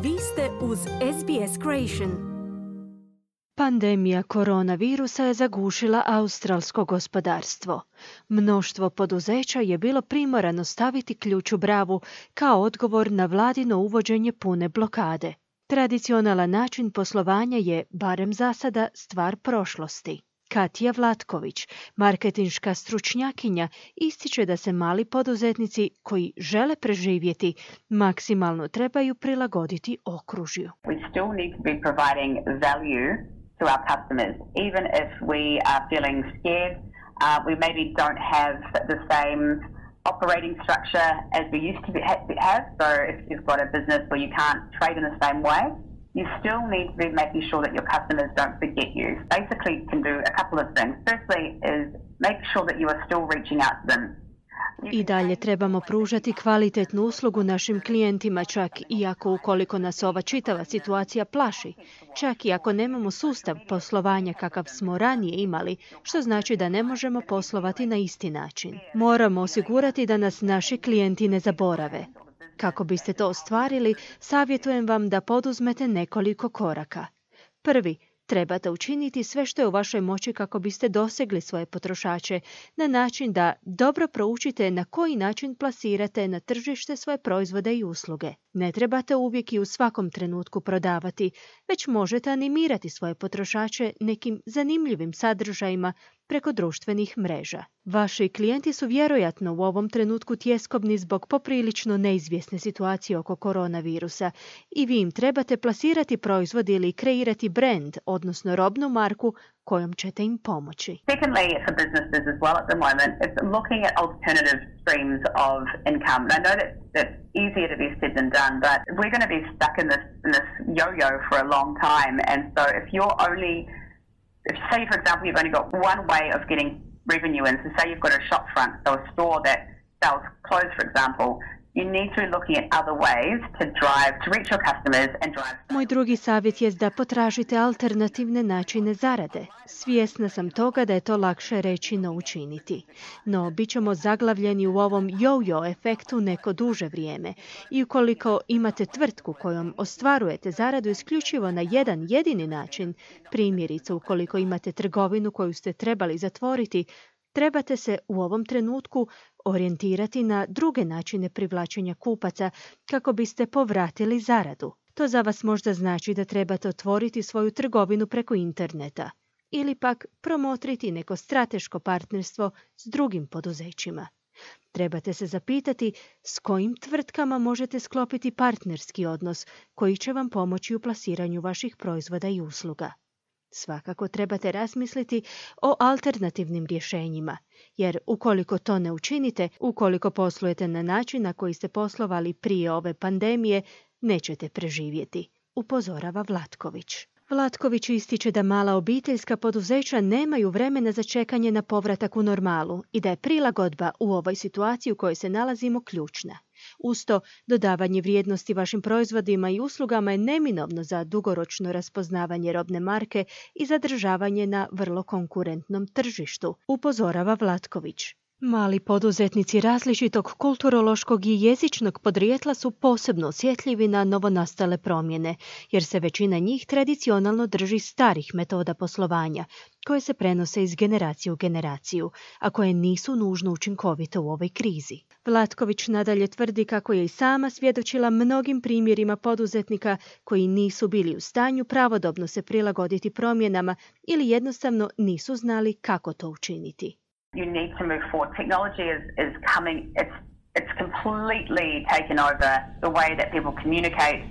Vi ste uz SBS Creation. Pandemija koronavirusa je zagušila australsko gospodarstvo. Mnoštvo poduzeća je bilo primorano staviti ključ u bravu kao odgovor na vladino uvođenje pune blokade. Tradicionalan način poslovanja je, barem za sada, stvar prošlosti. Katja Vlatković, marketinška stručnjakinja, ističe da se mali poduzetnici koji žele preživjeti maksimalno trebaju prilagoditi okružju. We still need to be providing value to our customers, even if we are feeling scared. We maybe don't have the same operating structure as we used to have. So if you've got a business where you can't trade in the same way, you still need to be making sure that your customers don't forget you. Basically, you can do a couple of things. Firstly is make sure that you are still reaching out to them. I dalje trebamo pružati kvalitetnu uslugu našim klijentima, čak i ukoliko nas ova čitava situacija plaši, čak i ako nemamo sustav poslovanja kakav smo ranije imali, što znači da ne možemo poslovati na isti način. Moramo osigurati da nas naši klijenti ne zaborave. Kako biste to ostvarili, savjetujem vam da poduzmete nekoliko koraka. Prvi, trebate učiniti sve što je u vašoj moći kako biste dosegli svoje potrošače na način da dobro proučite na koji način plasirate na tržište svoje proizvode i usluge. Ne trebate uvijek i u svakom trenutku prodavati, već možete animirati svoje potrošače nekim zanimljivim sadržajima preko društvenih mreža. Vaši klijenti su vjerojatno u ovom trenutku tjeskobni zbog poprilično neizvjesne situacije oko koronavirusa i vi im trebate plasirati proizvod ili kreirati brand, odnosno robnu marku kojom ćete im pomoći. Secondly, for businesses as well at the moment, it's looking at alternative streams of income. And I know that's easier to be said than done, but we're going to be stuck in this yo-yo for a long time. And so if say, for example, you've only got one way of getting revenue in, so say you've got a shop front, so a store that sells clothes, for example, you need to be looking at other ways to reach your customers and drive. Moj drugi savjet je da potražite alternativne načine zarade. Svjesna sam toga da je to lakše reći no učiniti. No, bit ćemo zaglavljeni u ovom yo-yo efektu neko duže vrijeme. I ukoliko imate tvrtku kojom ostvarujete zaradu isključivo na jedan jedini način, primjerice ukoliko imate trgovinu koju ste trebali zatvoriti, trebate se u ovom trenutku orijentirati na druge načine privlačenja kupaca kako biste povratili zaradu. To za vas možda znači da trebate otvoriti svoju trgovinu preko interneta ili pak promotriti neko strateško partnerstvo s drugim poduzećima. Trebate se zapitati s kojim tvrtkama možete sklopiti partnerski odnos koji će vam pomoći u plasiranju vaših proizvoda i usluga. Svakako trebate razmisliti o alternativnim rješenjima, jer ukoliko to ne učinite, ukoliko poslujete na način na koji ste poslovali prije ove pandemije, nećete preživjeti, upozorava Vlatković. Vlatković ističe da mala obiteljska poduzeća nemaju vremena za čekanje na povratak u normalu i da je prilagodba u ovoj situaciji u kojoj se nalazimo ključna. Uz to, dodavanje vrijednosti vašim proizvodima i uslugama je neminovno za dugoročno raspoznavanje robne marke i zadržavanje na vrlo konkurentnom tržištu, upozorava Vlatković. Mali poduzetnici različitog kulturološkog i jezičnog podrijetla su posebno osjetljivi na novonastale promjene, jer se većina njih tradicionalno drži starih metoda poslovanja, koje se prenose iz generacije u generaciju, a koje nisu nužno učinkovite u ovoj krizi. Vlatković nadalje tvrdi kako je i sama svjedočila mnogim primjerima poduzetnika koji nisu bili u stanju pravodobno se prilagoditi promjenama ili jednostavno nisu znali kako to učiniti. You need to move forward. Technology is coming, it's completely taken over the way that people communicate,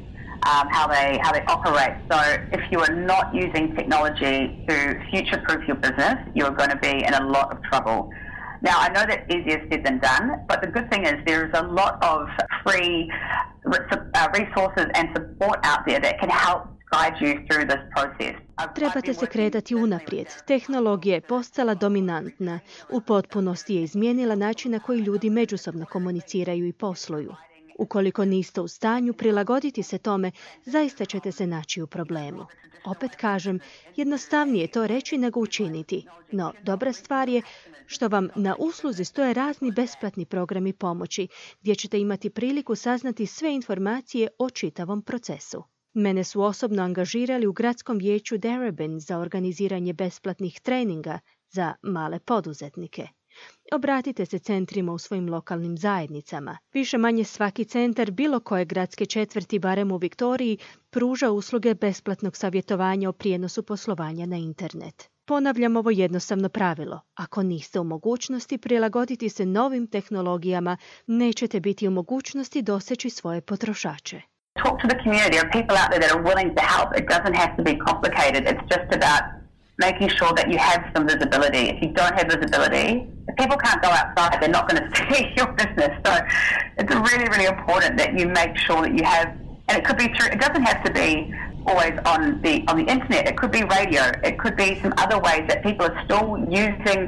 how they operate. So if you are not using technology to future-proof your business, you are going to be in a lot of trouble. Now, I know that's easier said than done, but the good thing is there is a lot of free resources and support out there that can help guide you through this process. Trebate se kretati unaprijed. Tehnologija je postala dominantna. U potpunosti je izmijenila način na koji ljudi međusobno komuniciraju i posluju. Ukoliko niste u stanju prilagoditi se tome, zaista ćete se naći u problemu. Opet kažem, jednostavnije je to reći nego učiniti, no dobra stvar je što vam na usluzi stoje razni besplatni programi pomoći, gdje ćete imati priliku saznati sve informacije o čitavom procesu. Mene su osobno angažirali u gradskom vijeću Darebin za organiziranje besplatnih treninga za male poduzetnike. Obratite se centrima u svojim lokalnim zajednicama. Više manje svaki centar bilo koje gradske četvrti, barem u Viktoriji, pruža usluge besplatnog savjetovanja o prijenosu poslovanja na internet. Ponavljam ovo jednostavno pravilo. Ako niste u mogućnosti prilagoditi se novim tehnologijama, nećete biti u mogućnosti doseći svoje potrošače. Talk to the community. There are people out there that are willing to help. It doesn't have to be complicated. It's just about making sure that you have some visibility. If you don't have visibility, if people can't go outside, they're not going to see your business. So it's really, really important that you make sure that you have, and it could be through, it doesn't have to be always on the internet. It could be radio. It could be some other ways that people are still using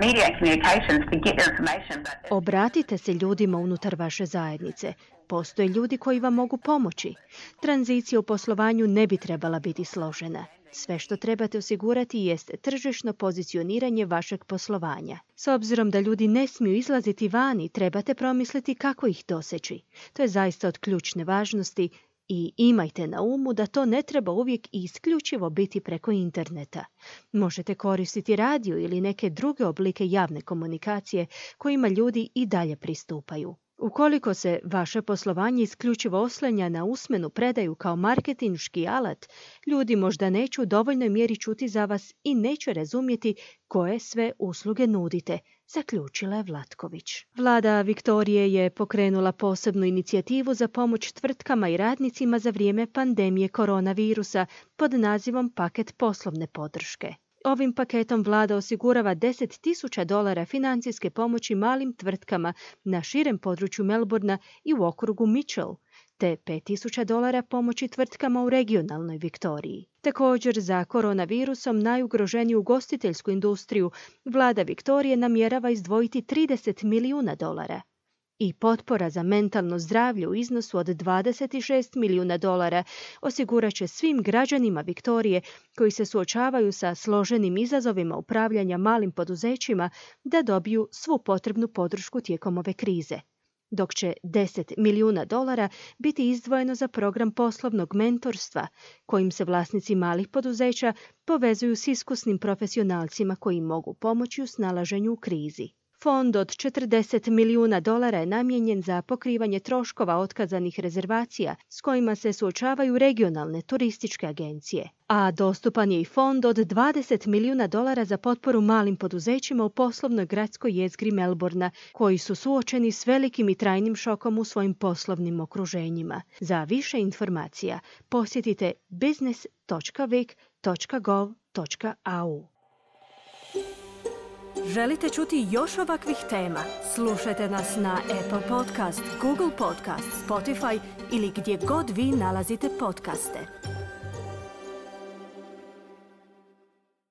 media and communications to get their information. Obratite se ljudima unutar vaše zajednice. Postoje ljudi koji vam mogu pomoći. Tranzicija u poslovanju ne bi trebala biti složena. Sve što trebate osigurati jest tržišno pozicioniranje vašeg poslovanja. S obzirom da ljudi ne smiju izlaziti vani, trebate promisliti kako ih doseći. To je zaista od ključne važnosti i imajte na umu da to ne treba uvijek i isključivo biti preko interneta. Možete koristiti radio ili neke druge oblike javne komunikacije kojima ljudi i dalje pristupaju. Ukoliko se vaše poslovanje isključivo oslanja na usmenu predaju kao marketinški alat, ljudi možda neće u dovoljnoj mjeri čuti za vas i neće razumjeti koje sve usluge nudite, zaključila je Vlatković. Vlada Viktorije je pokrenula posebnu inicijativu za pomoć tvrtkama i radnicima za vrijeme pandemije koronavirusa pod nazivom Paket poslovne podrške. Ovim paketom vlada osigurava $10,000 financijske pomoći malim tvrtkama na širem području Melbourna i u okrugu Mitchell, te $5,000 pomoći tvrtkama u regionalnoj Viktoriji. Također za koronavirusom najugroženiju ugostiteljsku industriju vlada Viktorije namjerava izdvojiti $30 milijuna. I potpora za mentalno zdravlje u iznosu od $26 milijuna osigurat će svim građanima Viktorije koji se suočavaju sa složenim izazovima upravljanja malim poduzećima da dobiju svu potrebnu podršku tijekom ove krize. Dok će $10 milijuna biti izdvojeno za program poslovnog mentorstva, kojim se vlasnici malih poduzeća povezuju s iskusnim profesionalcima koji mogu pomoći u snalaženju u krizi. Fond od $40 milijuna je namijenjen za pokrivanje troškova otkazanih rezervacija s kojima se suočavaju regionalne turističke agencije. A dostupan je i fond od $20 milijuna za potporu malim poduzećima u poslovnoj gradskoj jezgri Melbourna, koji su suočeni s velikim i trajnim šokom u svojim poslovnim okruženjima. Za više informacija posjetite business.vic.gov.au. Želite čuti još ovakvih tema? Slušajte nas na Apple Podcast, Google Podcast, Spotify ili gdje god vi nalazite podcaste.